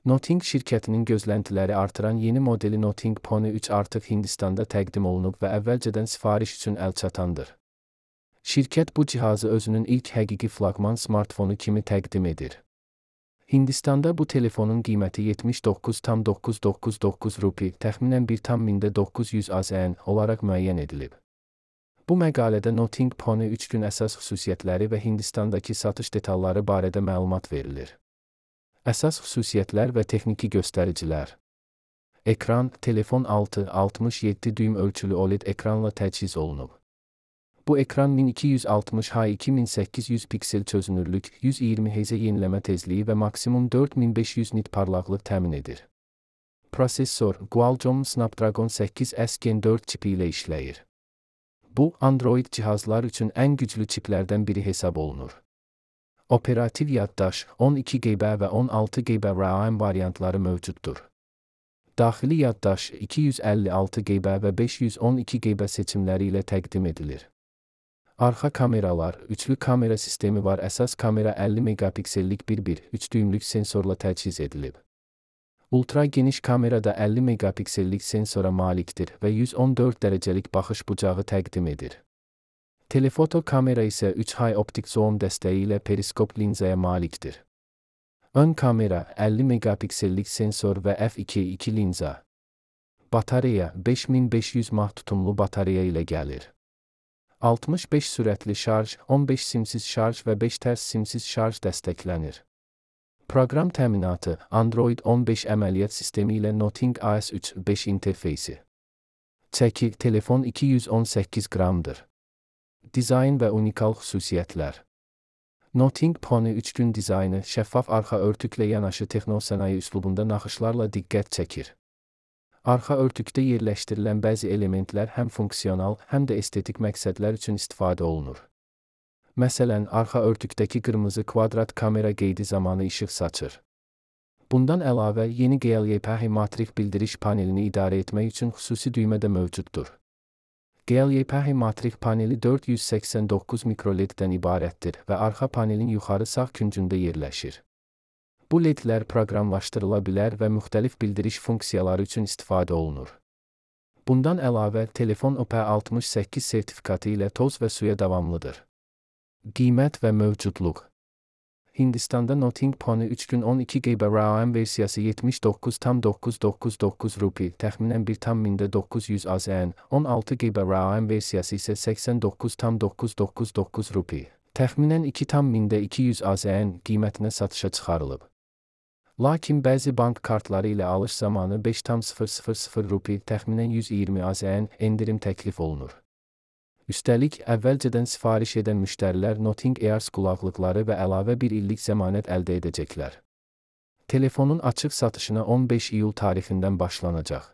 Nothing şirkətinin gözləntiləri artıran yeni modeli Nothing Pony 3 artıq Hindistanda təqdim olunub və əvvəlcədən sifariş üçün əlçatandır. Şirkət bu cihazı özünün ilk həqiqi flaqman smartfonu kimi təqdim edir. Hindistanda bu telefonun qiyməti 79,999 rupi, təxminən 1,900 AZN olaraq müəyyən edilib. Bu məqalədə Nothing Pony 3 gün əsas xüsusiyyətləri və Hindistandakı satış detalları barədə məlumat verilir. Əsas xüsusiyyətlər və texniki göstəricilər. Ekran, telefon 6,67 düym ölçülü OLED ekranla təchiz olunub. Bu ekran 1260x2800 piksel çözünürlük, 120 Hz yeniləmə tezliyi və maksimum 4500 nit parlaqlıq təmin edir. Prosesor Qualcomm Snapdragon 8S Gen 4 çipi ilə işləyir. Bu, Android cihazlar üçün ən güclü çiplərdən biri hesab olunur. Operativ yaddaş 12 GB və 16 GB RAM variantları mövcuddur. Daxili yaddaş 256 GB və 512 GB seçimləri ilə təqdim edilir. Arxa kameralar, üçlü kamera sistemi var. Əsas kamera 50 megapiksellik 1.3 düymlük sensorla təchiz edilib. Ultra geniş kamera da 50 megapiksellik sensora malikdir və 114 dərəcəlik baxış bucağı təqdim edir. Telefoto kamera isə 3 high optik zoom dəstəyi ilə periskop linzaya malikdir. Ön kamera 50 megapiksellik sensor və f2.2 linza. Batareya 5500 mAh tutumlu batareya ilə gəlir. 65 sürətli şarj, 15 simsiz şarj və 5 tərs simsiz şarj dəstəklənir. Proqram təminatı Android 15 əməliyyat sistemi ilə Nothing OS 3.5 interfeysi. Çəki, telefon 218 qramdır. Dizayn və unikal xüsusiyyətlər. Nothing Pony 3 gün dizaynı şəffaf arxa örtüklə yanaşı texnosənaye üslubunda naxışlarla diqqət çəkir. Arxa örtükdə yerləşdirilən bəzi elementlər həm funksional, həm də estetik məqsədlər üçün istifadə olunur. Məsələn, arxa örtükdəki qırmızı kvadrat kamera qeydi zamanı işıq saçır. Bundan əlavə, yeni GLYPH matrik bildiriş panelini idarə etmək üçün xüsusi düymə də mövcuddur. GLYPH matrik paneli 489 mikroLED-dən ibarətdir və arxa panelin yuxarı sağ küncündə yerləşir. Bu LED-lər proqramlaşdırıla bilər və müxtəlif bildiriş funksiyaları üçün istifadə olunur. Bundan əlavə, telefon IP68 sertifikatı ilə toz və suya davamlıdır. Qiymət və mövcudluq. Hindistanda Nothing Pony 3 gün 12 GB RAM versiyası 79,999 rupi, təxminən 1,900 AZN, 16 GB RAM versiyası isə 89,999 rupi, təxminən 2,200 AZN qiymətinə satışa çıxarılıb. Lakin bəzi bank kartları ilə alış zamanı 5,000 rupi, təxminən 120 AZN endirim təklif olunur. Üstəlik, əvvəlcədən sifariş edən müştərilər Nothing Ears qulaqlıqları və əlavə bir illik zəmanət əldə edəcəklər. Telefonun açıq satışına 15 iyul tarixindən başlanacaq.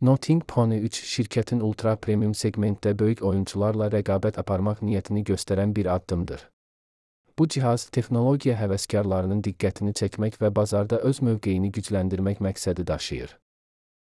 Nothing Pony 3 şirkətin ultra premium segmentdə böyük oyunçularla rəqabət aparmaq niyyətini göstərən bir addımdır. Bu cihaz texnologiya həvəskarlarının diqqətini çəkmək və bazarda öz mövqeyini gücləndirmək məqsədi daşıyır.